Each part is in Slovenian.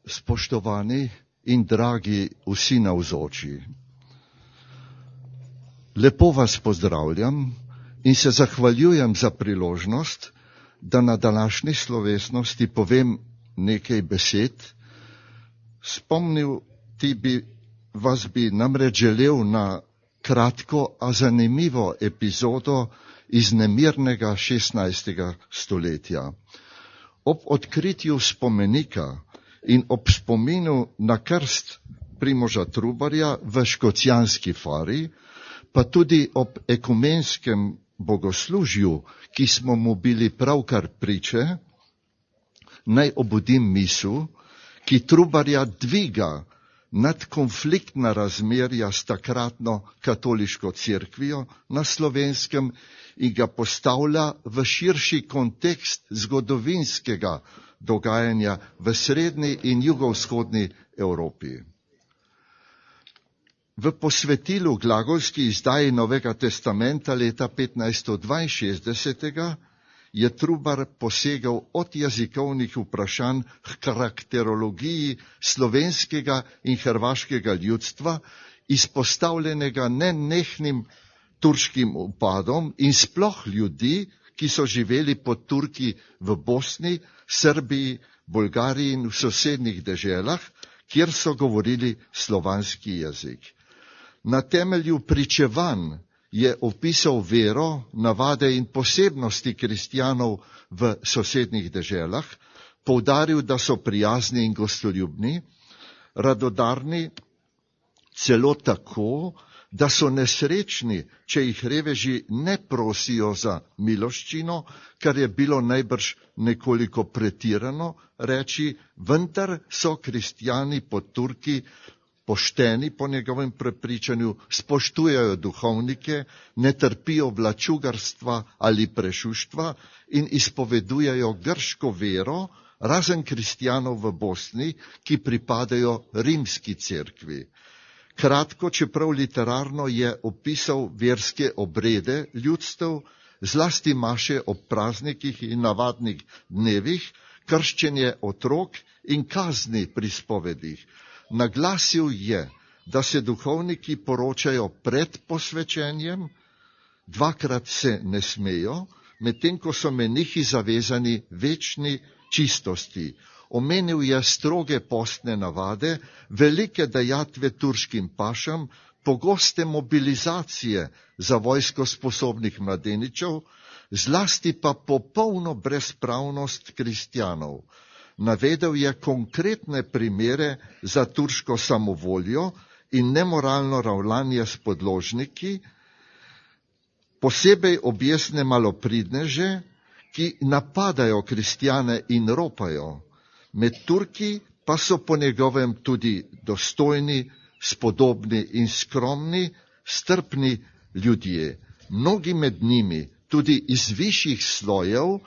Spoštovani in dragi vsi navzoči, lepo vas pozdravljam in se zahvaljujem za priložnost, da na današnji slovesnosti povem nekaj besed. Spomnil vas bi namreč želel na kratko, a zanimivo epizodo iz nemirnega 16. stoletja. Ob odkritju spomenika in ob spominu na krst Primoža Trubarja v Škocjanski fari, pa tudi ob ekumenskem bogoslužju, ki smo mu bili pravkar priče, naj obudim misel, ki Trubarja dviga nad konfliktna razmerja s takratno katoliško cerkvijo na Slovenskem in ga postavlja v širši kontekst zgodovinskega dogajanja v srednji in jugovzhodni Evropi. V posvetilu glagolski izdaji Novega testamenta leta 1562 je Trubar posegal od jezikovnih vprašanj k karakterologiji slovenskega in hrvaškega ljudstva, izpostavljenega nenehnim turškim upadom in sploh ljudi, ki so živeli pod Turki v Bosni, Srbiji, Bolgariji in v sosednjih deželah, kjer so govorili slovanski jezik. Na temelju pričevanj je opisal vero, navade in posebnosti kristjanov v sosednjih deželah, poudaril, da so prijazni in gostoljubni, radodarni, celo tako, da so nesrečni, če jih reveži ne prosijo za miloščino, kar je bilo najbrž nekoliko pretirano reči, vendar so kristjani pod Turki pošteni po njegovem prepričanju, spoštujejo duhovnike, ne trpijo vlačugarstva ali prešuštva in izpovedujejo grško vero, razen kristjanov v Bosni, ki pripadajo rimski cerkvi. Kratko, čeprav literarno, je opisal verske obrede ljudstev, zlasti maše ob praznikih in navadnih dnevih, krščenje otrok in kazni pri spovedih. Naglasil je, da se duhovniki poročajo pred posvečenjem, dvakrat se ne smejo, medtem ko so menihi zavezani večni čistosti. Omenil je stroge postne navade, velike dajatve turškim pašam, pogoste mobilizacije za vojsko sposobnih mladeničev, zlasti pa popolno brezpravnost kristjanov. Navedel je konkretne primere za turško samovoljo in nemoralno ravnanje s podložniki, posebej objesne malopridneže, ki napadajo kristjane in ropajo. Med Turki pa so po njegovem tudi dostojni, spodobni in skromni, strpni ljudje. Mnogi med njimi, tudi iz višjih slojev,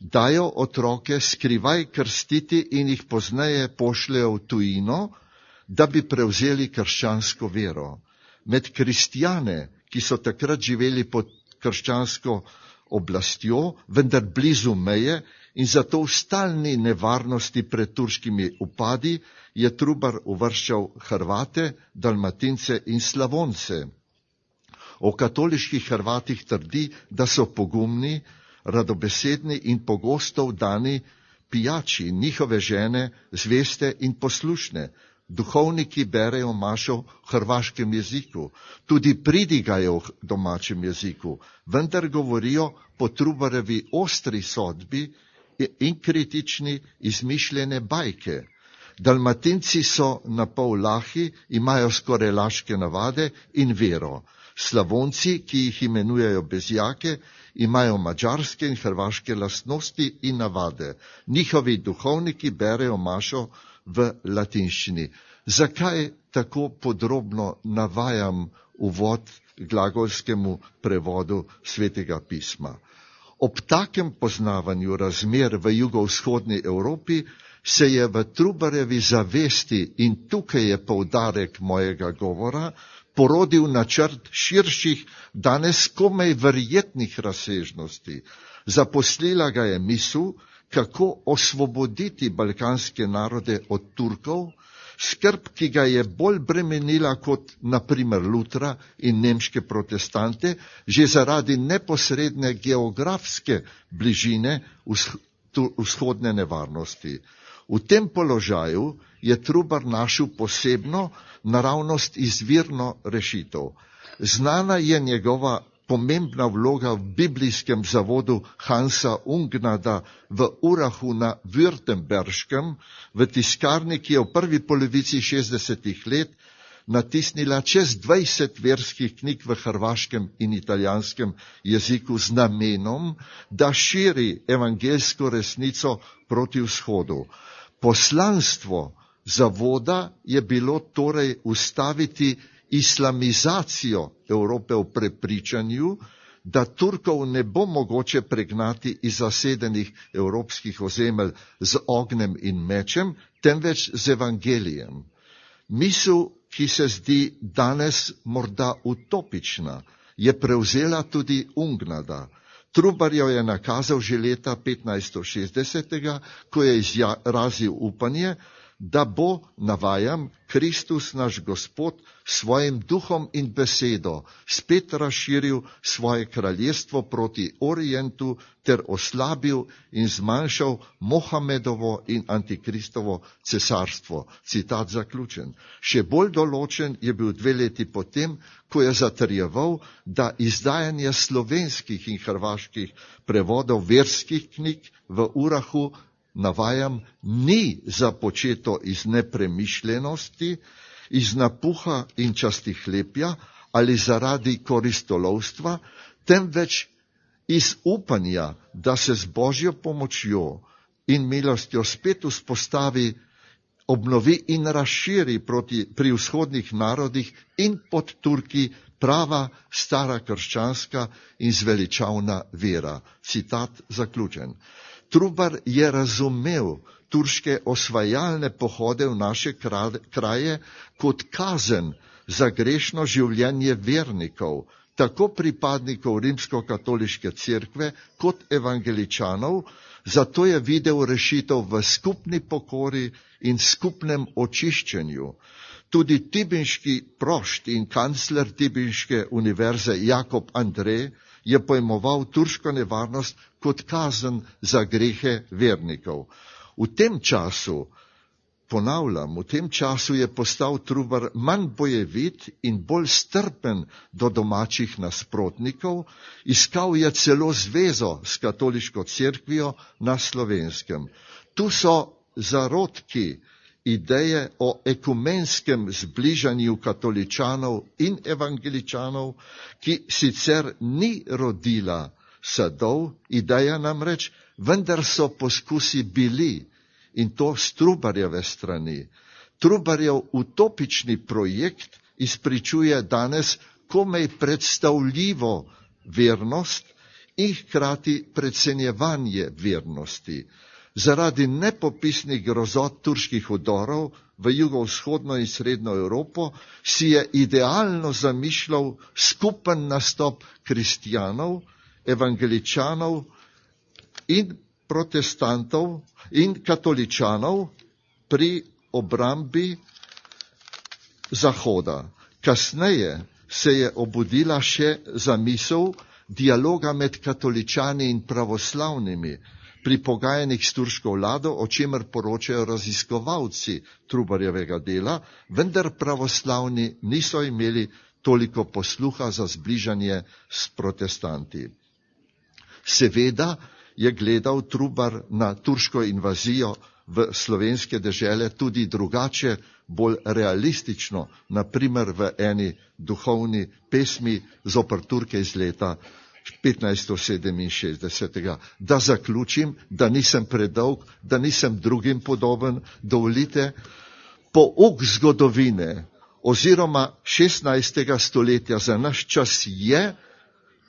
dajo otroke skrivaj krstiti in jih pozneje pošljejo v tujino, da bi prevzeli krščansko vero. Med kristjane, ki so takrat živeli pod krščansko oblastjo, vendar blizu meje in zato v stalni nevarnosti pred turškimi upadi, je Trubar uvrščal Hrvate, Dalmatince in Slavonce. O katoliških Hrvatih trdi, da so pogumni, radobesedni in pogosto vdani pijači, njihove žene zveste in poslušne. Duhovniki berejo mašo v hrvaškem jeziku, tudi pridigajo v domačem jeziku, vendar govorijo po Trubarjevi ostri sodbi in kritični izmišljene bajke. Dalmatinci so napol lahi, imajo skoraj laške navade in vero. Slavonci, ki jih imenujejo bezjake, imajo madžarske in hrvaške lastnosti in navade. Njihovi duhovniki berejo mašo v latinščini. Zakaj tako podrobno navajam uvod glagolskemu prevodu Svetega pisma? Ob takem poznavanju razmer v jugovzhodni Evropi se je v Trubarjevi zavesti, in tukaj je poudarek mojega govora, porodil načrt širših, danes komaj verjetnih razsežnosti. Zaposlila ga je misel, kako osvoboditi balkanske narode od Turkov, skrb, ki ga je bolj bremenila kot naprimer Lutra in nemške protestante, že zaradi neposredne geografske bližine vzhodne nevarnosti. V tem položaju je Trubar našel posebno, naravnost izvirno rešitev. Znana je njegova pomembna vloga v biblijskem zavodu Hansa Ungnada v Urahu na Württemberškem, v tiskarni, ki je v prvi polovici 60. let natisnila čez 20 verskih knjig v hrvaškem in italijanskem jeziku z namenom, da širi evangeljsko resnico proti vzhodu. Poslanstvo zavoda je bilo torej ustaviti islamizacijo Evrope v prepričanju, da Turkov ne bo mogoče pregnati iz zasedenih evropskih ozemelj z ognjem in mečem, temveč z evangelijem. Misel, ki se zdi danes morda utopična, je prevzela tudi Ungnada. Trubar jo je nakazal že leta 1560, ko je izrazil upanje, da bo, navajam, Kristus naš Gospod svojim duhom in besedo spet razširil svoje kraljestvo proti Orientu ter oslabil in zmanjšal Mohamedovo in Antikristovo cesarstvo. Citat zaključen. Še bolj določen je bil 2 leti potem, ko je zatrjeval, da izdajanje slovenskih in hrvaških prevodov verskih knjig v Urahu, navajam, ni započeto iz nepremišljenosti, iz napuha in častihlepja ali zaradi koristolovstva, temveč iz upanja, da se z Božjo pomočjo in milostjo spet vzpostavi, obnovi in razširi pri vzhodnih narodih in pod Turki prava, stara krščanska in zveličavna vera. Citat zaključen. Trubar je razumel turške osvajalne pohode v naše kraje kot kazen za grešno življenje vernikov, tako pripadnikov rimskokatoliške cerkve kot evangeličanov, zato je videl rešitev v skupni pokori in skupnem očiščenju. Tudi tibinški prošt in kancler tibinške univerze Jakob Andrej je pojmoval turško nevarnost kot kazen za grehe vernikov. V tem času, ponavljam, v tem času je postal Trubar manj bojevit in bolj strpen do domačih nasprotnikov, iskal je celo zvezo s katoliško cerkvijo na Slovenskem. Tu so zarodki ideje o ekumenskem zbližanju katoličanov in evangeličanov, ki sicer ni rodila sadov, ideja namreč, vendar so poskusi bili, in to s Trubarjeve strani. Trubarjev utopični projekt izpričuje danes komaj predstavljivo vernost in hkrati precenjevanje vernosti. Zaradi nepopisnih grozot turških vdorov v jugovzhodno in srednjo Evropo si je idealno zamišljal skupen nastop kristjanov, evangeličanov in protestantov in katoličanov pri obrambi Zahoda. Kasneje se je obudila še zamisel dialoga med katoličani in pravoslavnimi pri pogajanjih s turško vlado, o čemer poročajo raziskovalci Trubarjevega dela, vendar pravoslavni niso imeli toliko posluha za zbližanje s protestanti. Seveda je gledal Trubar na turško invazijo v slovenske dežele tudi drugače, bolj realistično, naprimer v eni duhovni pesmi zoper Turke iz leta 1567. Da zaključim, da nisem predolg, da nisem drugim podoben, dovolite, pouk zgodovine oziroma 16. stoletja za naš čas je,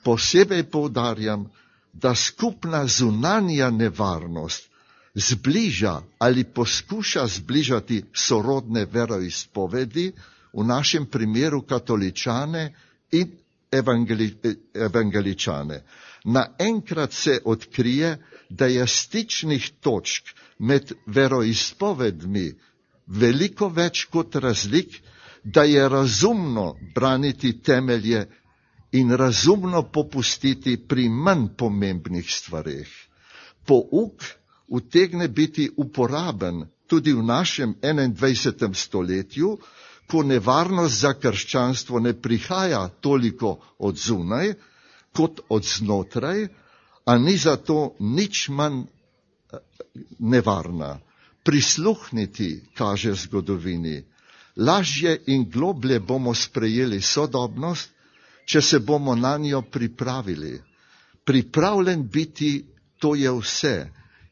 posebej poudarjam, da skupna zunanja nevarnost zbliža ali poskuša zbližati sorodne veroizpovedi, v našem primeru katoličane in evangeličane. naenkrat se odkrije, da je stičnih točk med veroizpovedmi veliko več kot razlik, da je razumno braniti temelje in razumno popustiti pri manj pomembnih stvareh. Pouk utegne biti uporaben tudi v našem 21. stoletju, ko nevarnost za krščanstvo ne prihaja toliko od zunaj, kot od znotraj, a ni zato nič manj nevarna. Prisluhniti, kaže zgodovini. Lažje in globlje bomo sprejeli sodobnost, če se bomo na njo pripravili. Pripravljen biti, to je vse,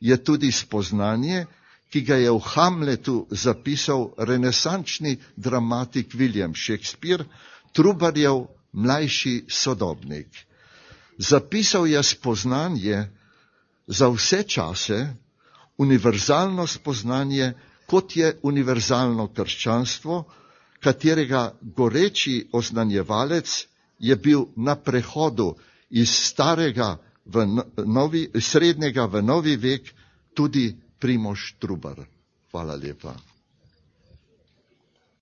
je tudi spoznanje, ki ga je v Hamletu zapisal renesančni dramatik William Shakespeare, Trubarjev mlajši sodobnik. Zapisal je spoznanje za vse čase, univerzalno spoznanje, kot je univerzalno krščanstvo, katerega goreči oznanjevalec je bil na prehodu iz srednjega v novi vek tudi Primož Trubar. Hvala lepa.